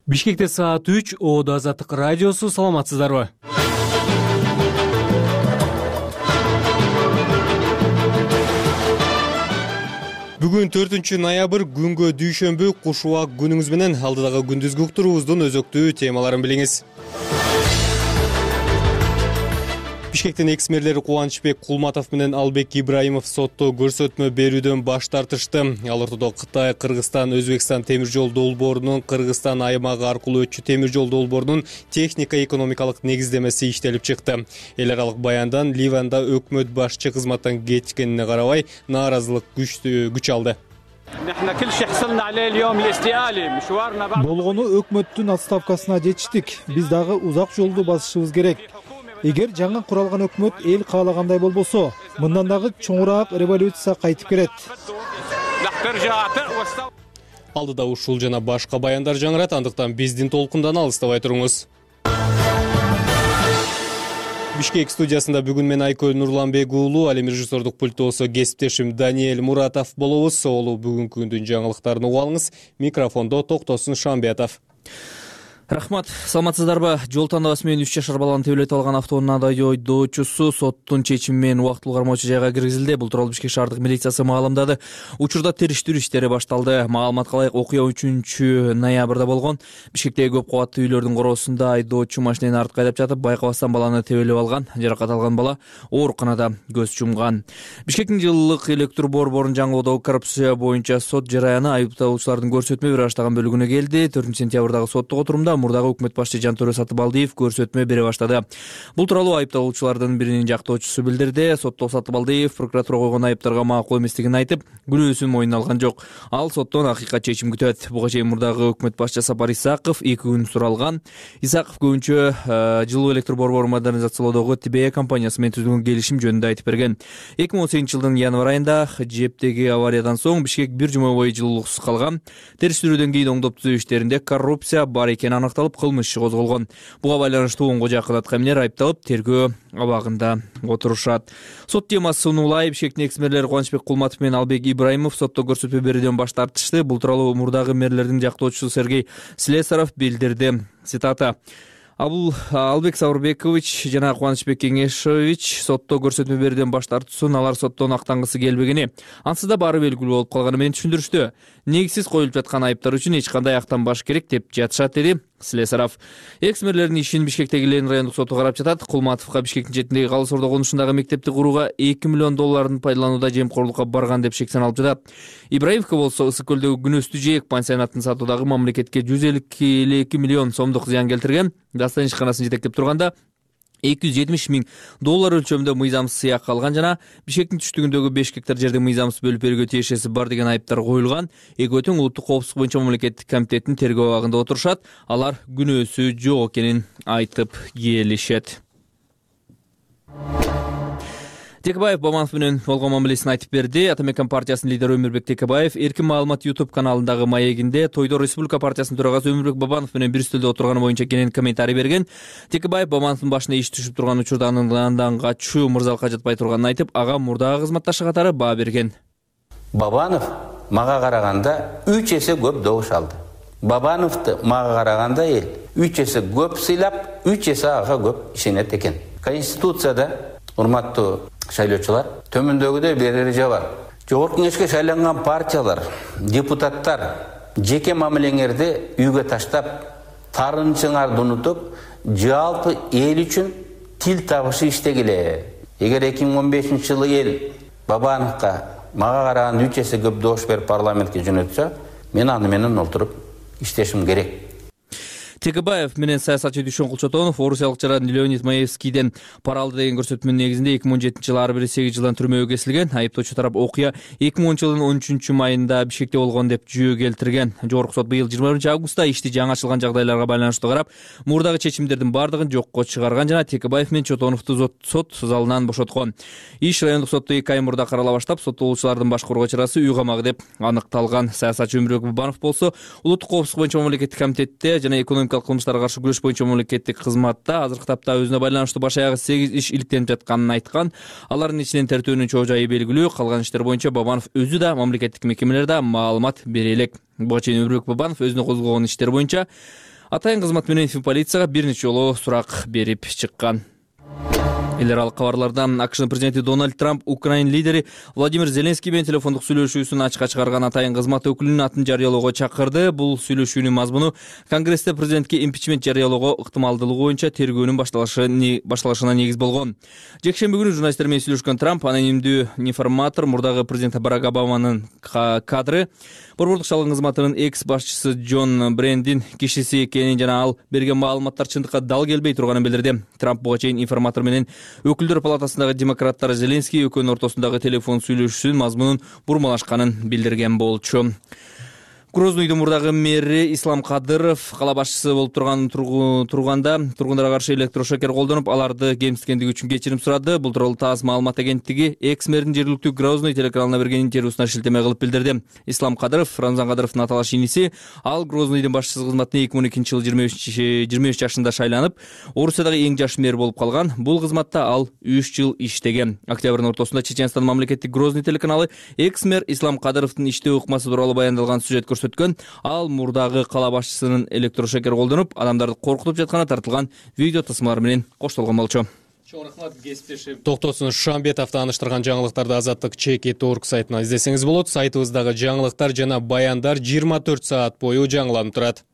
Бишкекте саат 3, Оодо Азаттык радиосу, саламатсыздарбы? Бүгүн 4-ноябрь күнгө дүйшөмбү, куш убак күнүңүз менен алдыдагы күндүзгү уктуруубуздун өзөктүү темаларын билиңиз. Бишкектин экс-мэрлери Кубанычбек Кулматов менен Албек Ибраимов сотто көрсөтмө берүүдөн баш тартышты. Ал ортодо Кытай, Кыргызстан, Өзбекстан темир жол долбоорунун Кыргызстан аймагы аркылуу өтчү темир жол долбоорунун техника-экономикалык негиздемеси иштелип чыкты. Эл аралык баяндан Ливанда өкмөт башчы кызматтан кеткенине карабай нааразылык күч алды. Болгону өкмөттүн отставкасына жетиштик. Биз дагы узак жолду басышыбыз керек. Эгер жаңы куралган өкмөт эл каалагандай болбосо, мындан дагы чоңураак революция кайтып келет. Алдыда ушул жана башка баяндар жаңырат, андыктан биздин толкундан алыстабай туруңуз. Бишкек студиясында бүгүн мен Айкөл Нурланбек уулу, ал эми режиссердук пульттосо кесиптешим Даниэль Муратов болобуз. Олу бүгүнкү күндүн жаңылыктарын угуп алыңыз. Микрофондо Токтосун Шамбетов. Рахмат, саламатсыздарбы? Жол тандабасы менен 3 жашар баланы тебелетип алган автоунаа айдоочусу соттун чечими менен убактылуу кармоочу жайга киргизилди. Бул тууралуу Бишкек шаардык милициясы маалымдады. Учурда териштирүү иштери башталды. Маалыматка ылайык, окуя 3-ноябрда болгон. Бишкектеги көп кабаттуу үйлөрдүн короосунда айдоочу машинени артка айдап жатып, байкабастан баланы тебелеп алган. Жаракат алган бала ооруканада көз жумган. Бишкектин жылдык электр борборун жаңылоодогу коррупция боюнча сот жараяны айыпталуучулардын көрсөтмө бере баштаган бөлүгүнө келди. 4-сентябрдагы соттук отурумда мурдагы өкмөт башчы Жантөрө Сатыбалдиев көрсөтмө бере баштады. Бул тууралуу айыпталуучулардын биринин жактоочусу билдирди. Сотто Сатыбалдиев прокуратура койгон айыптарга макул эместигин айтып, күнөөсүн мойнуна алган жок. Ал соттон акыйкат чечим күтөт. Буга чейин мурдагы өкмөт башчы Сапар Исаков 2 күн суралган. Исаков көбүнчө жылуу электр борборун модернизациялоодогу ТБ компаниясы менен түзүлгөн келишим жөнүндө айтып берген. 2018-жылдын январь айында ЖЭПтеги авариядан соң Бишкек бир жума бою жылуулуксуз калган. Териштирүүдөн кийин оңдоп түзөө иштеринде коррупция бар экени аныкталып, кылмыш иши козголгон. Буга байланыштуу 10 жакын аткаминер айыпталып, тергөө абагында отурушат. Сот темасы улай. Бишкектин экс-мэрлери Кубанычбек Кулматов менен Албек Ибраимов сотто көрсөтмө берүүдөн баш тартышты. Бул тууралуу мурдагы мэрлердин жактоочусу Сергей Слесаров билдирди. Цитата: Албек Саурбекович жана Кубанычбек Кеңешович сотто көрсөтмө берүүдөн баш тартуусун алар соттон актангысы келбегени, ансыз да баары белгилүү болуп калганы менен түшүндүрүштү. Негизсиз коюлуп жаткан айыптар үчүн эч кандай актанбаш керек деп жатышат, деди Слесаров. Экс-мэрлердин ишин Бишкектеги Ленин райондук соту карап жатат. Кулматовго Бишкектин четиндеги Калыс Ордо конушундагы мектепти курууга 2 миллион долларын пайдаланууда жемкорлукка барган деп шек саналып жатат. Ибраимовго болсо Ысык көлдөгү күнөстүү жээк пансионатын сатуудагы мамлекетке 152 миллион сомдук зыян келтирген. Дастан ишканасын жетектеп турганда 270 миң доллар өлчөмүндө мыйзамсыз сыяк алган жана Бишкектин түштүгүндөгү 5 гектар жерди мыйзамсыз бөлүп берүүгө тиешеси бар деген айыптар коюлган. Экөө тең улуттук коопсуздук боюнча мамлекеттик комитеттин тергөө абагында отурушат. Алар күнөөсү жок экенин айтып келишет. Текебаев Бабанов менен болгон мамилесин айтып берди. Атамекен партиясынын лидери Өмүрбек Текебаев Эркин маалымат YouTube каналындагы маегинде тойдо Республика партиясынын төрагасы Өмүрбек Бабанов менен бир стөлдө отурганы боюнча кенен комментарий берген. Текебаев Бабановдун башына иш түшүп турган учурда андан качуу мырзалыкка жатпай турганын айтып, ага мурдагы кызматташы катары баа берген. Бабанов мага караганда 3 эсе көп добуш алды. Бабановду мага караганда эл 3 эсе көп сыйлап, 3 эсе ага көп ишенет экен. Конституцияда, урматтуу шайлоочулар, төмөндөгүдөй бир эреже бар. Жогорку кеңешке шайланган партиялар, депутаттар жеке мамилеңерди үйгө таштап, тарынчыңарды унутуп, жалпы эл үчүн тил табышы иштегиле. Эгер 2015-жылы эл Бабановго мага караганда 3 эсе көп добуш берип парламентке жөнөтсө, мен аны менен олтуруп иштешим керек. Текебаев менен саясатчы Дүйшөн Кулчотонов орусиялык жаран Леонид Маевскийден пара алды деген көрсөтмөнүн негизинде 2017-жылы ар бири 8 жылдан түрмөгө кесилген. Айыптоочу тарап окуя 2010-жылдын 13-майында Бишкекте болгон деп жүйө келтирген. Жогорку сот быйыл 21-августта ишти жаңы ачылган жагдайларга байланыштуу карап, мурдагы чечимдердин бардыгын жокко чыгарган жана Текебаев менен Чотоновду сот залынан бошоткон. Иш райондук сотто 2 ай мурда карала баштап, соттолуучулардын башкарууга чарасы үй камагы деп аныкталган. Саясатчы Өмүрбек Бабанов болсо улуттук коопсуздук боюнча мамлекеттик комитетте жана экономикалык кылмыштарга каршы күрөш боюнча мамлекеттик кызматта азыркы тапта өзүнө байланыштуу баш аягы 8 иш иликтенип жатканын айткан. Алардын ичинен тертөөнүн чоо жайы белгилүү. Калган иштер боюнча Бабанов өзү да мамлекеттик мекемелерде маалымат бере элек. Буга чейин Өмүрбек Бабанов өзүнө козголгон иштер боюнча Атайын кызмат менен полицияга бир нече жолу сурак берип чыккан. Эл аралык кабарлардан АКШнын президенти Дональд Трамп Украин лидери Владимир Зеленский менен телефондук сүйлөшүүсүн ачыкка чыгарган атайын кызмат өкүлүнүн атын жарыялоого чакырды. Бул сүйлөшүүнүн мазмуну Конгрессте президентке импичмент жарыялоого ыктымалдуулугу боюнча тергөөнүн башталышына негиз болгон. Жекшемби күнү журналисттер менен сүйлөшкөн Трамп анонимдүү информатор мурдагы президент Барак Обаманын кадры, борбордук чалгын кызматынын экс башчысы Джон Брендин кишиси экенин жана ал берген маалыматтар чындыкка дал келбей турганын билдирди. Трамп буга чейин информатор менен Өкүлдөр палатасындагы демократтар Зеленский экөөнүн ортосундагы телефон сүйлөшүүсүнүн мазмунун бурмалашканын билдирген болчу. Грознойдун мурдагы мэри Ислам Кадыров кала башчысы болуп турганда тургундарга каршы электрошокер колдонуп, аларды кемситкендиги үчүн кечирим сурады. Бул тууралуу ТАСС маалымат агенттиги экс-мэрдин жергиликтүү Грозный телеканалына берген интервьюсуна шилтеме кылып билдирди. Ислам Кадыров Рамзан Кадыровдун аталаш иниси. Ал Грознойдун башчысы кызматына 2012-жылы 23 жашында шайланып, Орусиядагы эң жаш мэр болуп калган. Бул кызматта ал 3 жыл иштеген. Октябрдын ортосунда Чеченстан мамлекеттик Грозный телеканалы экс-мэр Ислам Кадыровдун иштөө ыкмасы тууралуу баяндалган сюжет көрсөткөн. Ал мурдагы кала башчысынын электрошокер колдонуп, адамдарды коркутуп жатканы тартылган видео тасмалар менен коштолгон болчу. Чоң рахмат, кесиптешим Токтосун Шамбетов тааныштырган жаңылыктарды Азаттык ЧК.org сайтынан издесеңиз болот. Сайтыбыздагы жаңылыктар жана баяндар 24 саат бою жаңыланып турат.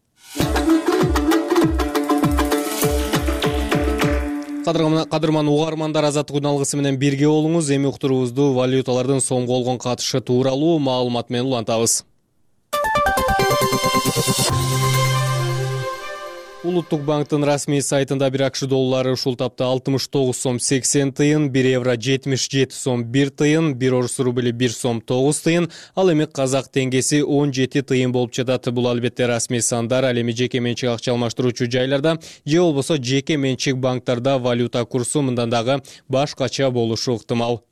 Кадырман угармандар, Азаттык күн алгысы менен бирге болуңуз. Эми уктуруубузду валюталардын сомго болгон катышы тууралуу маалымат менен улантабыз. Улуттук банктын расмий сайтында бир АКШ доллары ушул тапта 69 сом 80 тыйын, 1 евро 77 сом 1 тыйын, 1 орус рубли 1 сом 9 тыйын, ал эми казак теңгеси 17 тыйын болуп жатат. Бул албетте расмий сандар, ал эми жеке менчик акча алмаштыруучу жайларда же болбосо жеке менчик банктарда валюта курсу мындан дагы башкача болушу ыктымал.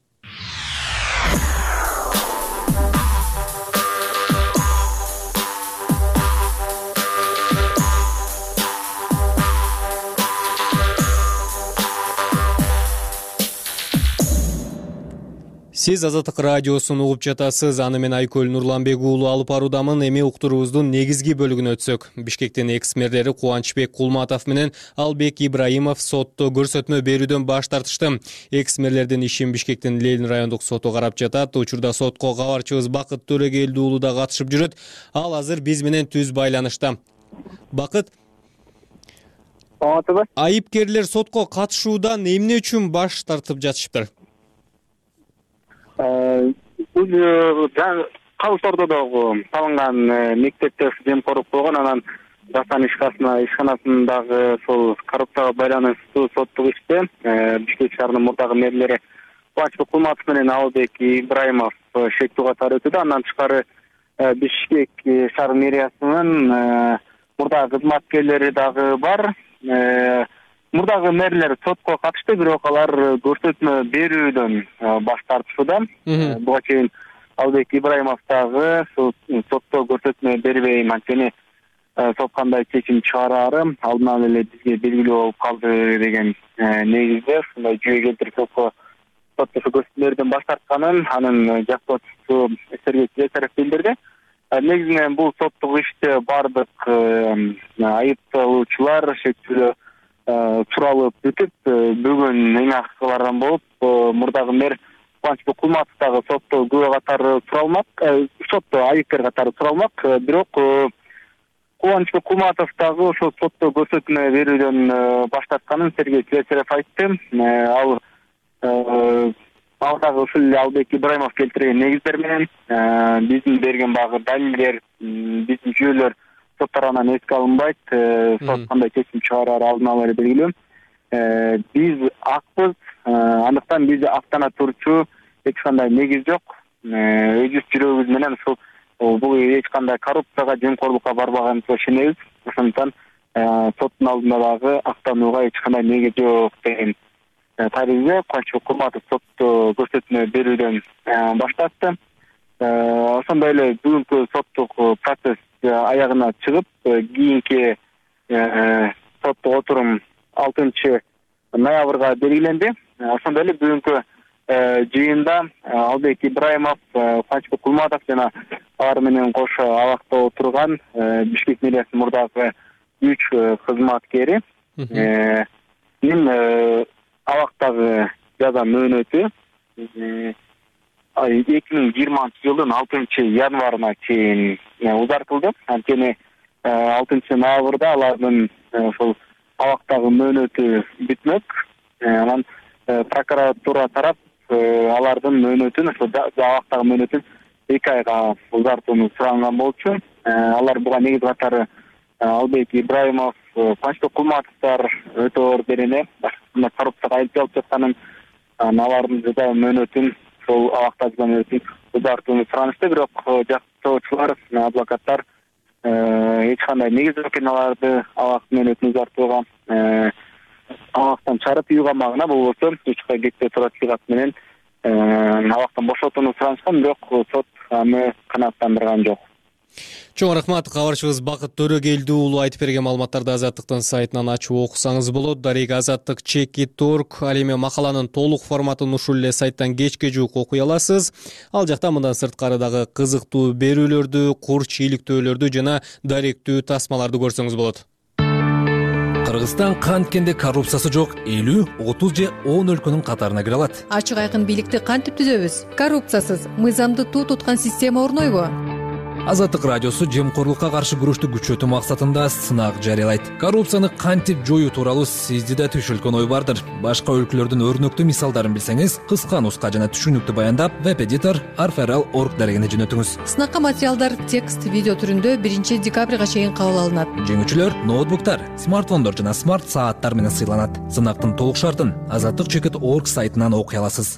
Сиз Азаттык радиосун угуп жатасыз. Аны мен Айкөл Нурланбек уулу алып баруудамын. Эми уктуруубуздун негизги бөлүгүнө өтсөк. Бишкектин экс-мэрлери Кубанычбек Кулматов менен Албек Ибраимов сотто көрсөтмө берүүдөн баш тартышты. Экс-мэрлердин ишин Бишкектин Ленин райондук соту карап жатат. Учурда сотко кабарчыбыз Бакыт Төрөгелди уулу да катышып жүрөт. Ал азыр биз менен түз байланышта. Бакыт, айыпкерлер сотко катышуудан эмне үчүн баш тартып жатышыптыр? Калыс Ордодогу салынган мектепте жемкорлук болгон, анан жастан ишканасындагы сол коррупцияга байланыштуу соттук иште Бишкек шаарынын мурдагы мэрлери Кубанычбек Кулматов менен Албек Ибраимов шектүү катары өтүүдө. Андан тышкары Бишкек шаар мэриясынын мурдагы кызматкерлери дагы бар. Мурдагы мэрлер сотко катышты, бирок алар көрсөтмө берүүдөн баш тартышууда. Буга чейин Албек Ибраимов дагы сотто көрсөтмө бербейм, анткени сот кандай чечим чыгарары алдынан эле бизге белгилүү болуп калды деген негизде ушундай жүйө келтирип сотто көрсөтмөлөрдөн баш тартканын анын жактоочусу Сергей Слесарев билдирди. Негизинен бул соттук иште бардык айыпталуучулар шектүүлөө туралып бүтүп, бүгүн эң акыркы болуп, мурдагы мэр Кубанычбек Кулматов дагы сотто күбө катары туралмак, сотто айыпкер катары туралмак, бирок Кубанычбек Кулматов дагы ошол сотто көрсөтмө берүүдөн баш тартканын Сергей Слесарев айтты. Ал дагы ушул эле Албек Ибраимов келтирген негиздер менен биздин берген багы далилдер, биздин жүйөлөр сот тарабынан эске алынбайт, сот кандай чечим чыгарары алдын ала эле белгилүү. Биз акпыз, андыктан бизди актана турчу эч кандай негиз жок. Өз жүрөгүбүз менен бул эч кандай коррупцияга, жемкорлукка барбаганыбызга ишенебиз. Ошондуктан соттун алдында дагы актанууга эч кандай негиз жок деген таризде Кубанычбек Кулматов сотто көрсөтмө берүүдөн баш тартты. Ошондой эле бүгүнкү соттук процесс аягына чыгып, кийинки соттук отурум 6 ноябрга белгиленди. Ошондой эле бүгүнкү жыйында Албек Ибраимов, Кубанычбек Кулматов жана алар менен кошо абакта отурган Бишкек мэриясынын мурдагы 3 кызматкери абактагы жаза мөөнөтү 2020-жылдын 6-январына чейин узартылды. Анткени 6-ноябрда алардын ошол абактагы мөөнөтү бүтмөк. Анан прокуратура тарап алардын мөөнөтүн, ошо абактагы мөөнөтүн 2 айга узартууну суранган болчу. Алар буга негиз катары Албек Ибраимов, Кубанычбек Кулматовдор өтө ордерине коррупцияга айыпталып жатканын, алардын жаза мөөнөтүн, ошол абактагы мөөнөтүн узартууну суранышты. Бирок жактоочулар, адвокаттар эч кандай негиз жок экен аларды абак мөөнөтүн узартууга. Абактан чыгарып үй камагына болбосо 3 ай кетпей турат сыйгат менен абактан бошотууну суранышкан, бирок сот аны канааттандырган жок. Чоң рахмат. Кабарчыбыз Бакыт Төрөгелди уулу айтып берген маалыматтарды Азаттыктын сайтынан ачып окусаңыз болот. Дарек Азаттык @check.org. Ал эми макаланын толук форматын ушул эле сайттан кечке жуук окуй аласыз. Ал жакта мындан сырткары дагы кызыктуу берүүлөрдү, кур чийликтөөлөрдү жана даректүү тасмаларды көрсөңүз болот. Кыргызстан канткенде коррупциясы жок 50, 30 же 10 өлкөнүн катарына кире алат. Ачык айкын бийликти кантип түзөбүз? Коррупциясыз, мыйзамды туу туткан система орнойбу? Азаттык радиосу жемкорлукка каршы күрөштү күчөтүү максатында сынак жарыялайт. Коррупцияны кантип жоюу тууралуу сизди да түшүлгөн ой бардыр. Башка өлкөлөрдүн өрнөктүү мисалдарын билсеңиз, кыска нуска жана түшүнүктүү баяндап, веб-эдитор arferal.org дарегине жөнөтүңүз. Сынакка материалдар текст, видео түрүндө 1-декабрга чейин кабыл алынат. Жеңүүчүлөр ноутбуктар, смартфондор жана смарт сааттар менен сыйланат. Сынактын толук шартын azattik.org сайтынан окуй аласыз.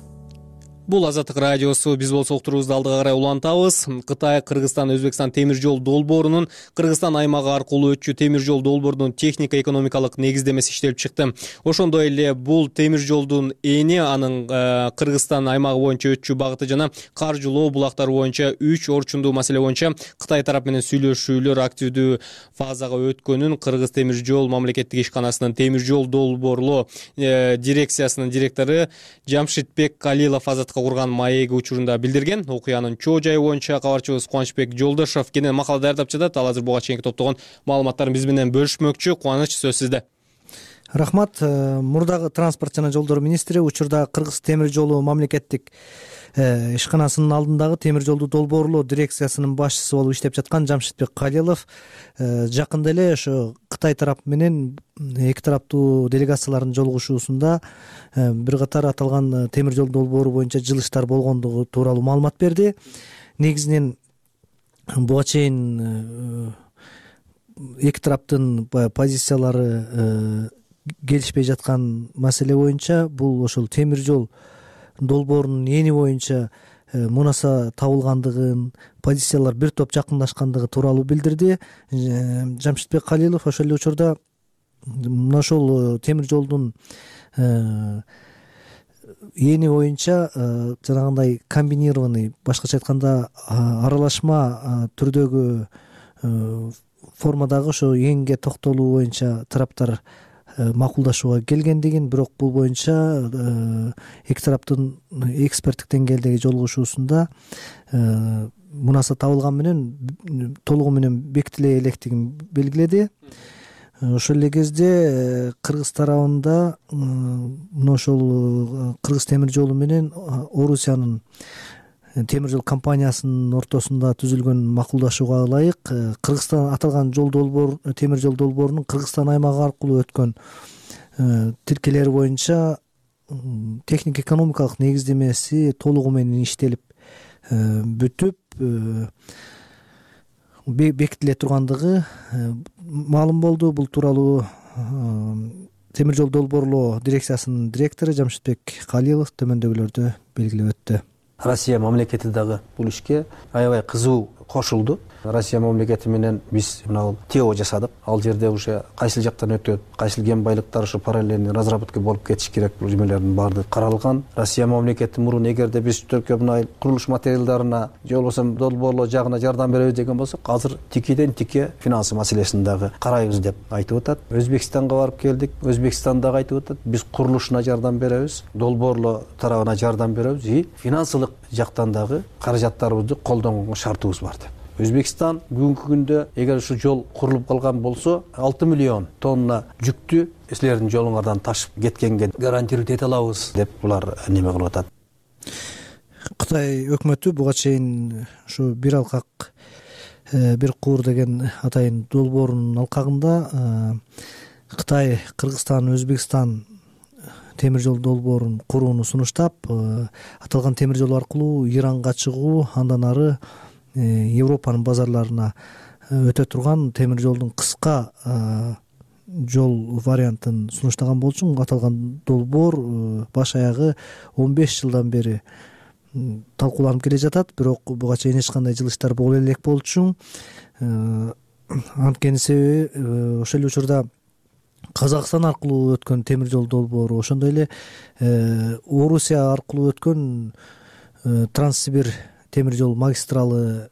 Бул Азаттык радиосу. Биз болсо уктуруубузду алдыга карай улантабыз. Кытай, Кыргызстан, Өзбекстан темир жол долбоорунун Кыргызстан аймагы аркылуу өтчү темир жол долбоорунун технико-экономикалык негиздемеси иштелип чыкты. Ошондой эле бул темир жолдун эни анын Кыргызстан аймагы боюнча өтчү багыты жана каржылоо булактары боюнча 3 орчундуу маселе боюнча Кытай тарап менен сүйлөшүүлөр активдүү фазага өткөнүн Кыргыз темир жол мамлекеттик ишканасынын темир жол долбоорлоо дирекциясынын директору Жамшитбек Калилов курган маеги учурунда билдирген. Окуянын чоо жайы боюнча кабарчыбыз Кубанычбек Жолдошов кенен макала даярдап жатат. Ал азыр буга чейинки топтогон маалыматтарын биз менен бөлүшмөкчү. Кубаныч, сөз сизде. Рахмат. Мурдагы транспорт жана жолдор министри учурда Кыргыз темир жолу мамлекеттик ишканасынын алдындагы темир жолду долбоорлоо дирекциясынын башчысы болуп иштеп жаткан Жамшитбек Калилов жакында эле ошо Кытай тарап менен эки тараптуу делегациялардын жолугушуусунда бир катар аталган темир жол долбоору боюнча жылыштар болгондугу тууралуу маалымат берди. Негизинен буга чейин эки тараптын позициялары келишпей жаткан маселе боюнча бул ошол темир жол долбоорунун эни боюнча мунаса табылгандыгын, позициялар бир топ жакындашкандыгы тууралуу билдирди. Жамшитбек Калилов ошол эле учурда мына ошол темир жолдун эни боюнча жанагындай комбинированный, башкача айтканда аралашма түрдөгү формадагы ошо энге токтолуу боюнча тараптар макулдашууга келгендигин, бирок бул боюнча эки тараптын эксперттик деңгээлдеги жолугушуусунда мунаса табылган менен толугу менен бекитиле электигин белгиледи. Ошол эле кезде Кыргыз тарабында мына ошол Кыргыз темир жолу менен Орусиянын темир жол компаниясынын ортосунда түзүлгөн макулдашууга ылайык Кыргызстан аталган жол долбоор темир жол долбоорунун Кыргызстан аймагы аркылуу өткөн тилкелери боюнча техник-экономикалык негиздемеси толугу менен иштелип бүтүп бекитиле тургандыгы маалым болду. Бул тууралуу темир жол долбоорлоо дирекциясынын директору Жамшитбек Калилов төмөндөгүлөрдү белгилеп өттү. Россия мамлекети дагы бул ишке аябай кызуу кошулду. Россия мамлекети менен биз мына ТО жасадык. Ал жерде уже кайсыл жактан өтөт, кайсыл кен байлыктар ушу параллельный разработка болуп кетиш керек, бул жумелердин баардыгы каралган. Россия мамлекети мурун эгерде биз түркө мына курулуш материалдарына же болбосо долбоорлоо жагына жардам беребиз деген болсок, азыр тикиден тике финанс маселесин дагы карайбыз деп айтып атат. Өзбекстанга барып келдик. Өзбекстан дагы айтып атат, биз курулушуна жардам беребиз, долбоорлоо тарабына жардам беребиз и финансылык жактан дагы каражаттарыбызды колдонгонго шартыбыз бар деп. Өзбекстан бүгүнкү күндө эгер ушу жол курулуп калган болсо 6 миллион тонна жүктү силердин жолуңардан ташып кеткенге гарантировать эте алабыз деп булар неме кылып атат. Кытай өкмөтү буга чейин ушу бир алкак бир куур деген атайын долбоорунун алкагында Кытай, Кыргызстан, Өзбекстан темир жол долбоорун курууну сунуштап, аталган темир жол аркылуу Иранга чыгуу, андан ары Европанын базарларына өтө турган темир жолдун кыска жол вариантын сунуштаган болчу. Аталган долбоор баш аягы 15 жылдан бери талкууланып келе жатат, бирок буга чейин эч кандай жылыштар боло элек болчу. Анткени себеби ошол эле учурда Казакстан аркылуу өткөн темир жол долбоору, ошондой эле Орусия аркылуу өткөн Транссибир темир жол магистралы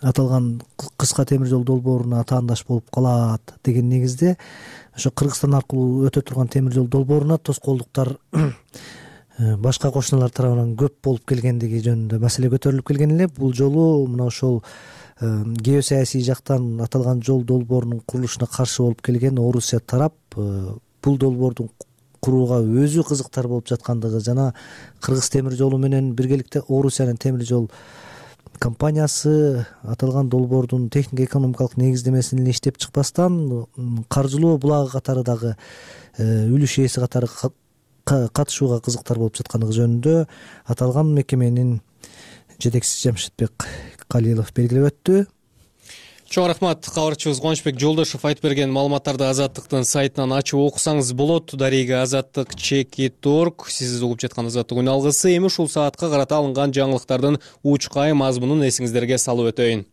аталган кыска темир жол долбооруна атаандаш болуп калат деген негизде ошо Кыргызстан аркылуу өтө турган темир жол долбооруна тоскоолдуктар башка кошуналар тарабынан көп болуп келгендиги жөнүндө маселе көтөрүлүп келген эле. Бул жолу мына ошол геосаясий жактан аталган жол долбоорунун курулушуна каршы болуп келген Орусия тарап бул долбоордун курууга өзү кызыктар болуп жаткандыгы жана Кыргыз темир жолу менен биргеликте Орусиянын темир жол компаниясы аталган долбоордун технико-экономикалык негиздемесин эле иштеп чыкпастан каржылоо булагы катары дагы үлүш ээси катары катышууга кызыктар болуп жаткандыгы жөнүндө аталган мекеменин жетекчиси Жамшитбек Калилов белгилеп өттү. Чоң рахмат. Кабарчыбыз Кубанычбек Жолдошов айтып берген маалыматтарды Азаттыктын сайтынан ачып окусаңыз болот. Дарега Азаттык @check.org. Сиз угуп жаткан Азаттык үн алгысы. Эми ушул саатка карата алынган жаңылыктардын учкай мазмунун эсиңиздерге салып өтөйүн.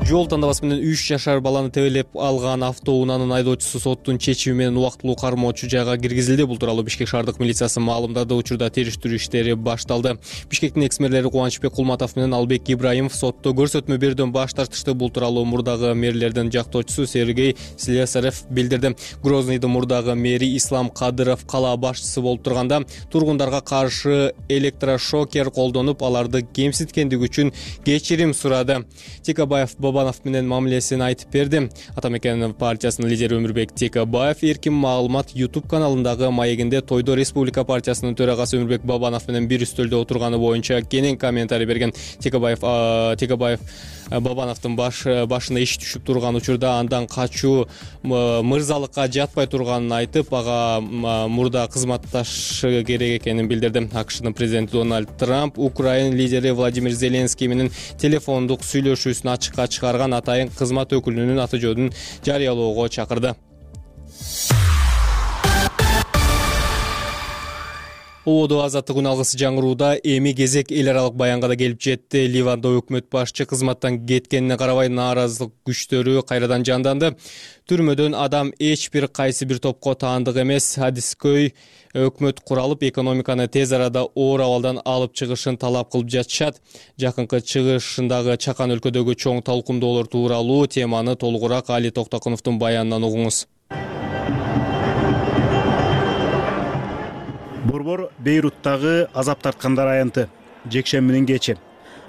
Жол тандабасы менен 3 жашар баланы тебелеп алган автоунаанын айдоочусу соттун чечими менен убактылуу кармоочу жайга киргизилди. Бул тууралуу Бишкек шаардык милициясы маалымдады. Учурда териштирүү иштери башталды. Бишкектин экс-мэрлери Кубанычбек Кулматов менен Албек Ибраимов сотто көрсөтмө берүүдөн баш тартышты. Бул тууралуу мурдагы мэрлердин жактоочусу Сергей Слесарев билдирди. Грозныйдын мурдагы мэри Ислам Кадыров кала башчысы болуп турганда тургундарга каршы электрошокер колдонуп, аларды кемситкендиги үчүн кечирим сурады. Текабаев Бабанов менен мамилесин айтып берди. Ата мекен партиясынын лидери Өмүрбек Текабаев эркин маалымат YouTube каналындагы маегинде Тойдо Республика партиясынын төрагасы Өмүрбек Бабанов менен бир үстөлдө отурганы боюнча кенен комментарий берген. Текабаев Бабановдун башына иш түшүп турган учурда андан качуу мырзалыкка жатпай турганын айтып, ага мурда кызматташы керек экенин билдирди. АКШнын президенти Дональд Трамп Украина лидери Владимир Зеленский менен телефондук сүйлөшүүсүн ачыкка чыгарган атайын кызмат өкүлүнүн аты жөнүн жарыялоого чакырды. Ободо Азаттык үн алгысы жаңырууда эми кезек эл аралык баянга да келип жетти. Ливанда өкмөт башчы кызматтан кеткенине карабай нааразылык күчтөрү кайрадан жанданды. Түрмөдөн адам эч бир кайсы бир топко таандык эмес. Адискөй өкмөт куралып, экономиканы тез арада оор абалдан алып чыгышын талап кылып жатышат. Жакынкы чыгышындагы Чакан өлкөдөгү чоң талкумдоолор тууралуу теманы толугураак Али Токтокуновдун баянынан угуңуз. Борбор Бейруттагы азап тарткандар аянты. Жекшембинин кечи.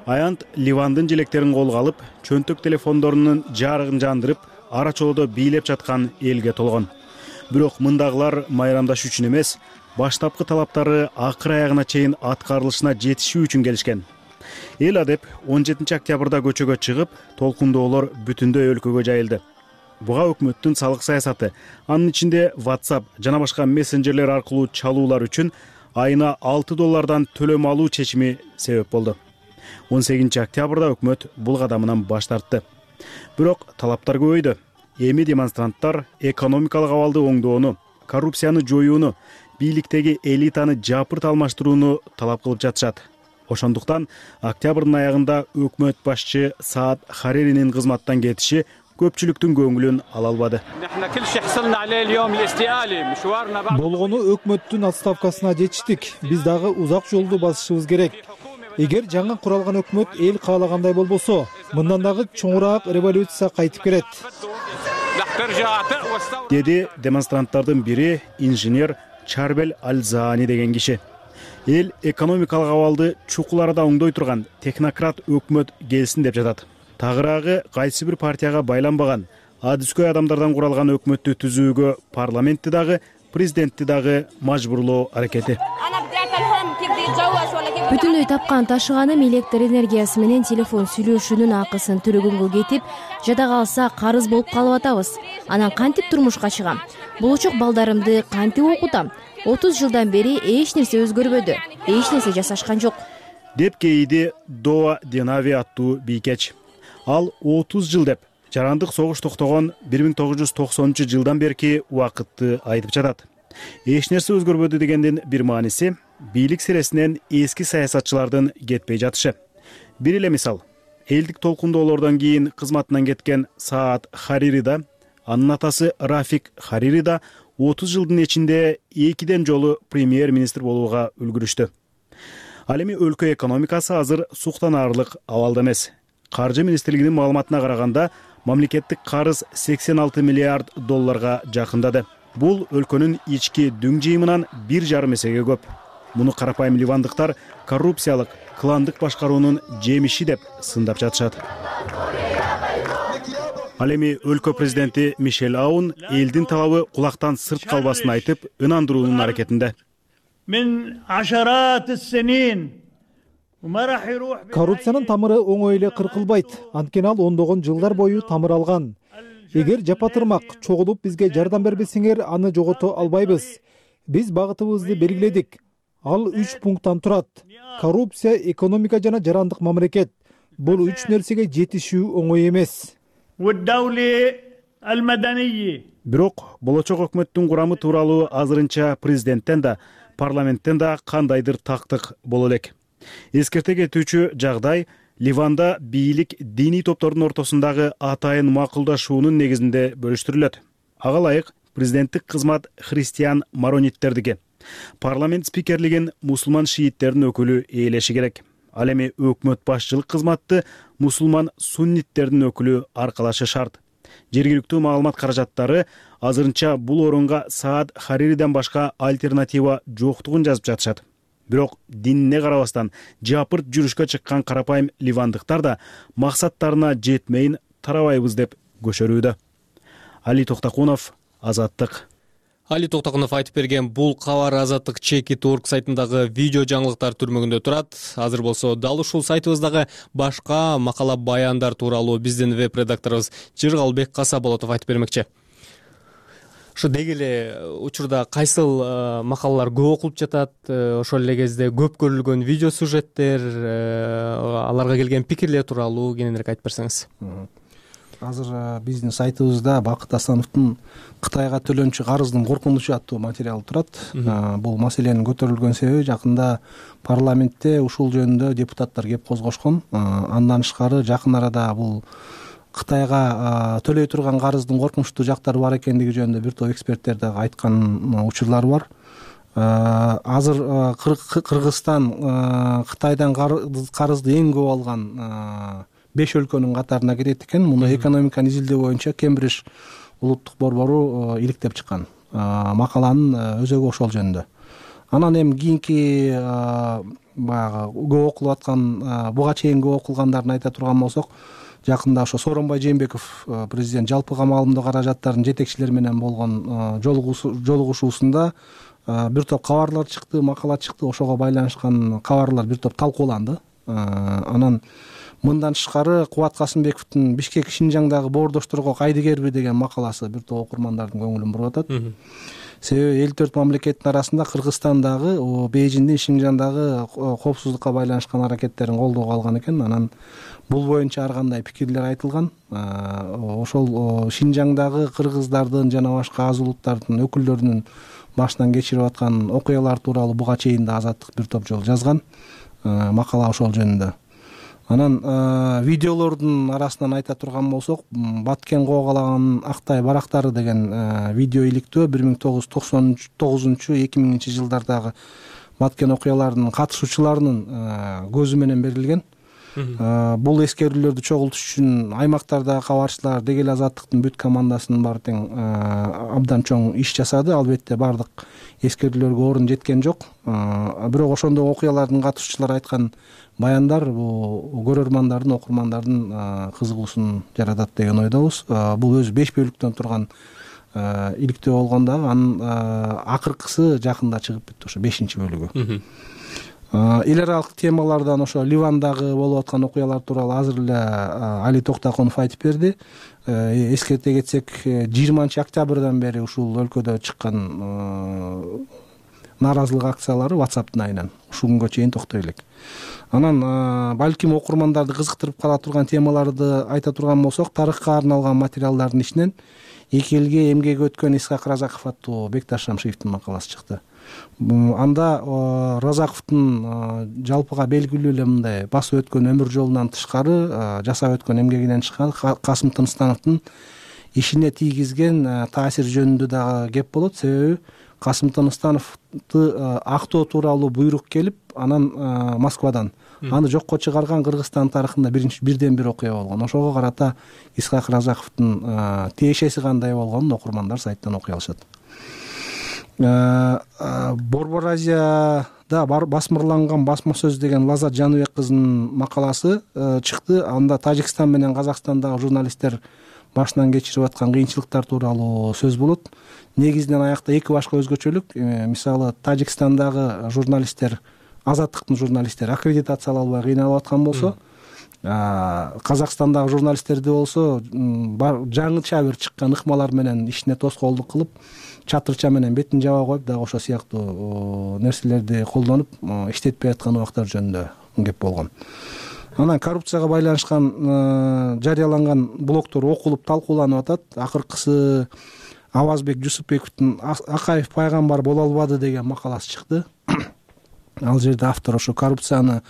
Аянт Ливандын желектерин колго алып, чөнтөк телефондорунун жарыгын жандырып, ара чолодо бийлеп жаткан элге толгон. Бирок мындагылар майрамдаш үчүн эмес, баштапкы талаптары акыр аягына чейин аткарылышына жетишүү үчүн келишкен. Эл адеп 17 октябрда көчөгө чыгып, толкундоолор бүтүндөй өлкөгө жайылды. Буга өкмөттүн салык саясаты, анын ичинде WhatsApp жана башка мессенджерлер аркылуу чалуулар үчүн айына $6 төлөм алуу чечими себеп болду. 18 октябрда өкмөт бул кадамынан баш тартты. Бирок талаптар көбөйдү. Эми демонстранттар экономикалык абалды оңдоону, коррупцияны жоюуну, бийликтеги элитаны жапырт алмаштырууну талап кылып жатышат. Ошондуктан октябрдын аягында өкмөт башчы Саад Хариринин кызматтан кетиши көпчүлүктүн көңүлүн ала албады. Болгону өкмөттүн отставкасына жетиштик. Биз дагы узак жолду басышыбыз керек. Эгер жаңы куралган өкмөт эл каалагандай болбосо, мындан дагы чоңураак революция кайтып келет. Деди демонстранттардын бири инженер Чарбел Аль-Заани деген киши. эл экономикалык абалды чукул арада оңдой турган технократ өкмөт келсин деп жатат. Тагыраагы кайсы бир партияга байланбаган адыскөй адамдардан куралган өкмөттү түзүүгө парламентти дагы, президентти дагы мажбурлоо аракети. Бүтүндөй тапкан ташыганым электр энергиясы менен телефон сүйлөшүүнүн акысын төлөгөнгө кетип, жада калса карыз болуп калып атабыз. Анан кантип турмушка чыгам? Болочок балдарымды кантип окутам? 30 жылдан бери эч нерсе өзгөрбөдү. Эч нерсе жасашкан жок. Деп кейиди Доа Денави аттуу бийкеч. Ал 30 жыл деп жарандык согуш токтогон 1990-жылдан берки убакытты айтып жатат. Эч нерсе өзгөрбөдү дегендин бир мааниси бийлик сиресинен эски саясатчылардын кетпей жатышы. Бир эле мисал, элдик толкундоолордон кийин кызматынан кеткен Саад Харири да, анын атасы Рафик Харири да 30 жылдын ичинде 2 жолу премьер-министр болууга үлгүрүштү. Ал эми өлкө экономикасы азыр суктанаарлык абалда эмес. Каржы министрлигинин маалыматына караганда, мамлекеттик карыз 86 миллиард долларга жакындады. Бул өлкөнүн ички дүң жыйымынан 1,5 эсеге көп. Муну карапайым ливандыктар коррупциялык, кландык башкаруунун жемиши деп сындап жатышат. Ал эми өлкө президенти Мишель Аун элдин талабы кулактан сырт калбасын айтып, ынандыруунун аракетинде. Коррупциянын тамыры оңой эле кыркылбайт. Анткени ал ондогон жылдар бою тамыр алган. Эгер жапатырмак чогулуп бизге жардам бербесеңер, аны жогото албайбыз. Биз багытыбызды белгиледик. Ал 3 пункттан турат. Коррупция, экономика жана жарандык мамлекет. Бул 3 нерсеге жетишүү оңой эмес. Бирок болочок өкмөттүн курамы тууралуу азырынча президенттен да, парламенттен да кандайдыр тактык боло элек. Эскерте кетүүчү жагдай Ливанда бийлик диний топтордун ортосундагы атайын макулдашуунун негизинде бөлүштүрүлөт. Ага ылайык президенттик кызмат христиан марониттердики. Парламент спикерлигин мусулман шииттердин өкүлү ээлеши керек. Ал эми өкмөт башчылык кызматты мусулман сунниттердин өкүлү аркалашы шарт. Жергиликтүү маалымат каражаттары азырынча бул орунга Саад Харириден башка альтернатива жоктугун жазып жатышат. Бирок динине карабастан жапырт жүрүшкө чыккан карапайым ливандыктар да максаттарына жетмейин тарабайбыз деп көшөрүүдө. Али Токтакунов, Азаттык. Али Токтакунов айтып берген бул кабар Азаттык Чеки.org сайтындагы видео жаңылыктар түрмөгүндө турат. Азыр болсо дал ушул сайтыбыздагы башка макала баяндар тууралуу биздин веб-редакторубуз Жыргалбек Касаболотов айтып бермекчи. Ошо деги эле учурда кайсыл макалалар көп окулуп жатат, ошол эле кезде көп көрүлгөн видео сюжеттер, аларга келген пикирлер тууралуу кененирээк айтып берсеңиз. Азыр биздин сайтыбызда Бакыт Асановдун Кытайга төлөнчү карыздын коркунучу аттуу материалы турат. Бул маселенин көтөрүлгөн себеби жакында парламентте ушул жөнүндө депутаттар кеп козгошкон. Андан тышкары жакын арада бул Кытайга төлөй турган карыздын коркунучтуу жактары бар экендиги жөнүндө бир топ эксперттер дагы айткан учурлар бар. Азыр Кыргызстан Кытайдан карызды эң көп алган 5 өлкөнүн катарына кирет экен. Муну экономиканы изилдөө боюнча Кембридж улуттук борбору иликтеп чыккан. Макаланын өзөгү ошол жөнүндө. Анан эми кийинки баягы көп окулуп аткан, буга чейин көп окулгандарын айта турган болсок, жакында ошо Сооронбай Жээнбеков президент жалпы камалымдуу каражаттардын жетекчилери менен болгон жолугушуусунда бир топ кабарлар чыкты, макала чыкты. Ошого байланышкан кабарлар бир топ талкууланды. Анан мындан тышкары Кубат Касымбековдун Бишкек Шинжаңдагы боордошторго кайдыгерби деген макаласы бир топ окурмандардын көңүлүн буруп атат. Себеби 54 мамлекеттин арасында Кыргызстандагы, Бейжиңдин Шинжаңдагы коопсуздукка байланышкан аракеттерин колдоого алган экен. Анан бул боюнча ар кандай пикирлер айтылган. Ошол Шинжаңдагы кыргыздардын жана башка аз улуттардын өкүлдөрүнүн башынан кечирип аткан окуялар тууралуу буга чейин да Азаттык бир топ жолу жазган макала ошол жөнүндө. Анан видеолордун арасынан айта турган болсок, Баткен коогалаган Актай барактары деген видео иликтөө 1999-2000 жылдардагы Баткен окуяларынын катышуучуларынын көзү менен берилген. Бул эскерүүлөрдү чогултуш үчүн аймактардагы кабарчылар деги эле Азаттыктын бүт командасынын баары тең абдан чоң иш жасады. Албетте баардык эскерүүлөргө орун жеткен жок. Бирок ошондой окуялардын катышуучулары айткан баяндар бул көрөрмандардын, окурмандардын кызыгуусун жаратат деген ойдобуз. Бул өзү 5 бөлүктөн турган иликтөө болгон дагы анын акыркысы жакында чыгып бүттү, ошо 5 бөлүгү. Эл аралык темалардан ошо Ливандагы болуп аткан окуялар тууралуу азыр эле Али Токтоконов айтып берди. Эскерте кетсек, 20-октябрдан бери ушул өлкөдө чыккан нааразылык акциялары WhatsApp'тын айынан ушул күнгө чейин токтой элек. Анан балким окурмандарды кызыктырып кала турган темаларды айта турган болсок, тарыхка арналган материалдардын ичинен 2 элге эмгеги өткөн Исхак Разаков аттуу Бекташ Шамшиевдин макаласы чыкты. Анда Разаковдун жалпыга белгилүү эле мындай басып өткөн өмүр жолунан тышкары, жасап өткөн эмгегинен тышкары Касым Тыныстановдун ишине тийгизген таасир жөнүндө дагы кеп болот. Себеби Касым Тыныстановду актоо тууралуу буйрук келип, анан Москвадан аны жокко чыгарган Кыргызстан тарыхында бирден бир окуя болгон. Ошого карата Исхак Разаковдун тиешеси кандай болгонун окурмандар сайттан окуй алышат. Борбор Азияда басмырланган басма сөз деген Лазат Жаныбек кызынын макаласы чыкты. Анда Тажикстан менен Казакстандагы журналисттер башынан кечирип аткан кыйынчылыктар тууралуу сөз болот. Негизинен аякта эки башка өзгөчөлүк. Мисалы, Тажикстандагы журналисттер, Азаттыктын журналисттери аккредитациялай албай кыйналып аткан болсо, Казакстандагы журналисттерди болсо жаңыча бир чыккан ыкмалар менен ишине тоскоолдук кылып, чатырча менен бетин жаба коюп, дагы ошо сыяктуу нерселерди колдонуп иштетпей аткан убактар жөнүндө кеп болгон. Анан коррупцияга байланышкан жарыяланган блогдор окулуп талкууланып атат. Акыркысы Авазбек Жусупбековдун Акаев пайгамбар боло албады деген макаласы чыкты. Ал жерде автор ошо коррупцияны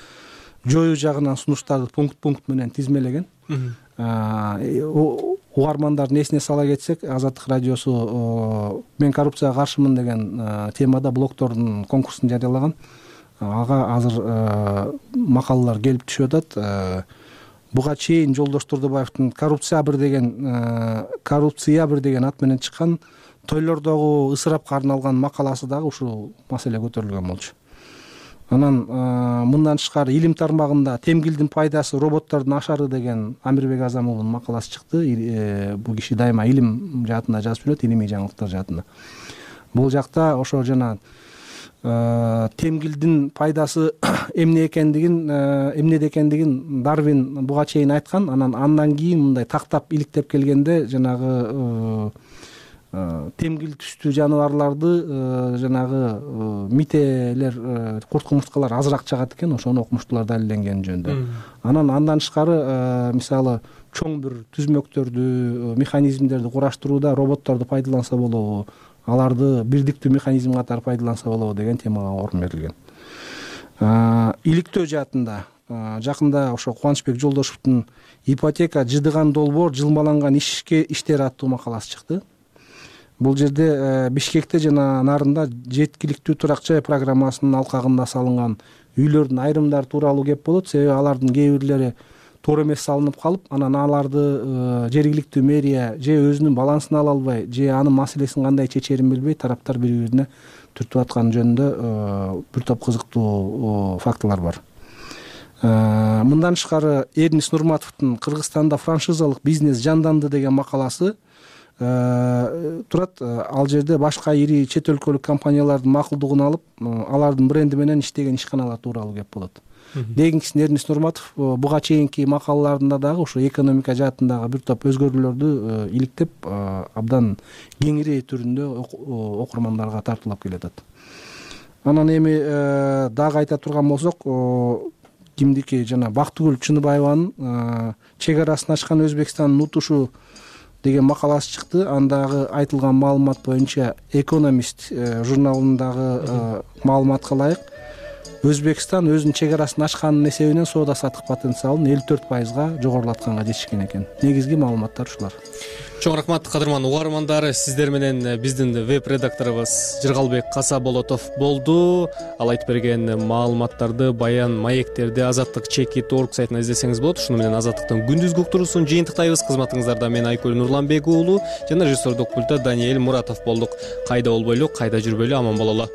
жоюу жагынан сунуштарды пункт менен тизмелеген. Угармандардын эсине сала кетсек, Азаттык радиосу мен коррупцияга каршымын деген темада блогдордун конкурсун жарыялаган. Ага азыр макалалар келип түшүп атат. Буга чейин Жолдош Турдубаевдин коррупция бир деген ат менен чыккан тойлордогу ысырапка арналган макаласы дагы ушул маселе көтөрүлгөн болчу. Анан мындан тышкары илим тармагында темгилдин пайдасы роботтордун ашары деген Амирбек Азамовдун макаласы чыкты. Бул киши дайыма илим жаатында жазып жүрөт, илимий жаңылыктар жаатында. Бул жакта ошо жана темгилдин пайдасы эмне экендигин Дарвин буга чейин айткан. Андан кийин мындай тактап иликтеп келгенде жанагы темгил түстүү жаныбарларды жанагы мителер, курт-кумурскалар азыраак чыгат экен, ошону окумуштуулар далилденгени жөнүндө. Андан тышкары мисалы чоң бир түзмөктөрдү, механизмдерди кураштырууда роботторду пайдаланса болобу, аларды бирдиктүү механизм катары пайдаланса болобу деген темага орун берилген. Иликтөө жаатында жакында ошо Кубанычбек Жолдошевдун ипотека жыдыган долбоор жылмаланган иштер аттуу макаласы чыкты. Бул жерде Бишкекте жана нарында жеткиликтүү турак жай программасынын алкагында салынган үйлөрдүн айрымдары тууралуу кеп болот. Себеби алардын кээ бирлери туура эмес салынып калып, анан аларды жергиликтүү мэрия же өзүнүн балансын ала албай, же анын маселесин кандай чечерин билбей, тараптар бири-бирине түртүп аткан жөнүндө бир топ кызыктуу фактылар бар. Мындан тышкары Эрнис Нурматовдун Кыргызстанда франшизалык бизнес жанданды деген макаласы турат. Ал жерде башка ири чет өлкөлүк компаниялардын макулдугун алып, алардын бренди менен иштеген ишканалар тууралуу кеп болот. Дегенкисин Эрнис Нурматов буга чейинки макалаларында дагы ошо экономика жаатындагы бир топ өзгөрүүлөрдү иликтеп, абдан кеңири түрүндө окурмандарга тартуулап келатат. Анан эми дагы айта турган болсок, кимдики жана Бактыгүл Чыныбаеванын чек арасын ачкан Өзбекстандын утушу деген макаласы чыкты. Андагы айтылган маалымат боюнча Экономист журналындагы маалыматка ылайык Өзбекстан өзүнүн чек арасын ачканын эсебинен соода саттык потенциалын 54%га жогорулатканга жетишкен экен. Негизги маалыматтар ушулар. Чоң рахмат, кадырман угармандар. Сиздер менен биздин веб редакторубуз Жыргалбек Касаболотов болду. Ал айтып берген маалыматтарды, баян маектерди azatlyk.org сайтынан издесеңиз болот. Ушуну менен Азаттыктын күндүзгү уктуруусун жыйынтыктайбыз. Кызматыңыздарда мен Айкөл Нурланбек уулу жана режиссердук пультта Даниэль Муратов болдук. Кайда болбойлу, кайда жүрбөйлү, аман бололу.